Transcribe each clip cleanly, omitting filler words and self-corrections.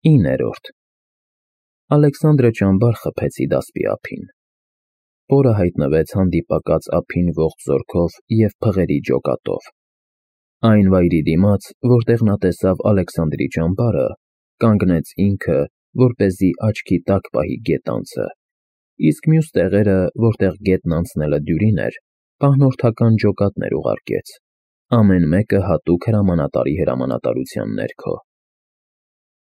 9-րդ Ալեքսանդրը ճամբար խփեց Հիդասպի ափին։ Պորը հայտնվեց հանդիպակաց ափին ողջ զորքով և փղերի ջոկատով։ Այն վայրի դիմաց, որտեղ նա տեսավ Ալեքսանդրի ճամբարը, կանգնեց ինքը, որպեսզի աչքի տակ պահի գետանցը, իսկ մյուս տեղերը, որտեղ գետն անցնելը դյուրին էր, պահնորդական ջոկատներ ուղարկեց, ամեն մեկը հատուկ հրամանատարի հրամանատարության ներքո։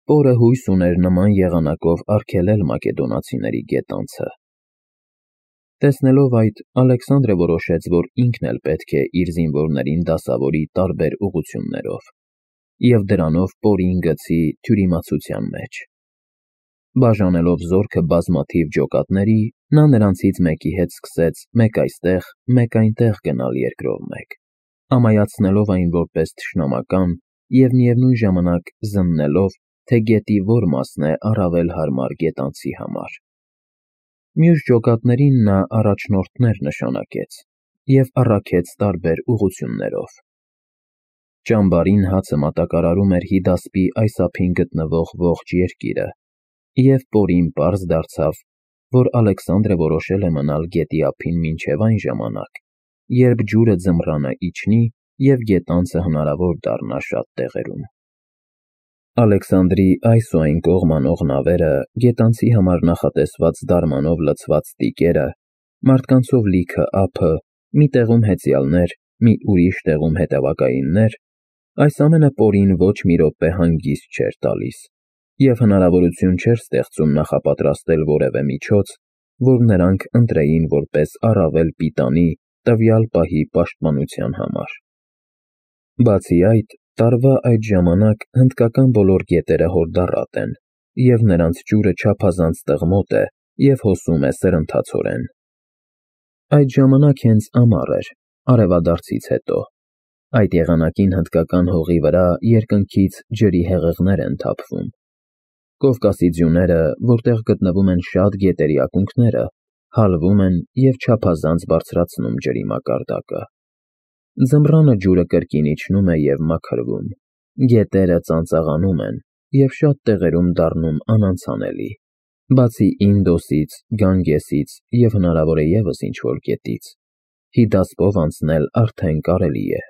Պորը հույս ուներ նման եղանակով արգելել մակեդոնացիների գետանցը։ Տեսնելով այդ, Ալեքսանդրը որոշեց, որ ինքն էլ պետք է իր զինվորներին դասավորի տարբեր ուղղություններով և դրանով Պորին գցի թյուրիմացության մեջ։ Բաժանելով զորքը բազմաթիվ ջոկատների, նա նրանցից մեկի հետ սկսեց մեկ այստեղ, մեկ այնտեղ գնալ երկրով մեկ, ամայացնելով այն որպես թշնամական և միևնույն ժամանակ զննելով, թե գետի որ մասն է առավել հարմար գետանցի համար։ Մյուս ջոկատներին նա առաջնորդներ նշանակեց և առաքեց տարբեր ուղղություններով։ Ճամբարին հացը մատակարարում էր Հիդասպի այս ափին գտնվող ողջ երկիրը, և Պորին պարզ դարձավ, որ Ալեքսանդրը որոշել է մնալ գետի ափին մինչև այն ժամանակ, երբ ջուրը ձմռանը իջնի և գետանցը հնարավոր դառնա շատ տեղերում։ Ալեքսանդրի այս ու այն կողմ անող նավերը, գետանցի համար նախատեսված դարմանով լցված տիկերը, մարդկանցով լիքը ափը, մի տեղում հեծյալներ, մի ուրիշ տեղում հետևակայիններ, այս ամենը Պորին ոչ մի րոպե հանգիստ չէր տալիս և հնարավորություն չէր ստեղծում նախապատրաստել որևէ միջոց, որ նրանք ընտրեին որպես առավել պիտանի տվյալ պահի պաշտպանության համար։ Բացի այդ, տարվա այդ ժամանակ հնդկական բոլոր գետերը հորդառատ են, և նրանց ջուրը չափազանց տղմոտ է և հոսում է սրընթացորեն։ Այդ ժամանակ հենց ամառ էր, արևադարձից հետո։ Այդ եղանակին հնդկական հողի վրա երկնքից ջրի հեղեղներ են թափվում։ Կովկասի ձյուները, որտեղ գտնվում են շատ գետերի ակունքները, հալվում են և չափազանց բարձրացնում ջրի մակարդակը։ Ձմռանը ջուրը կրկին իջնում է և մաքրվում, գետերը ծանծաղանում են և շատ տեղերում դառնում անանցանելի, բացի Ինդոսից, Գանգեսից և հնարավոր է ևս ինչ-որ գետից, Հիդասպով անցնել արդեն կարելի է։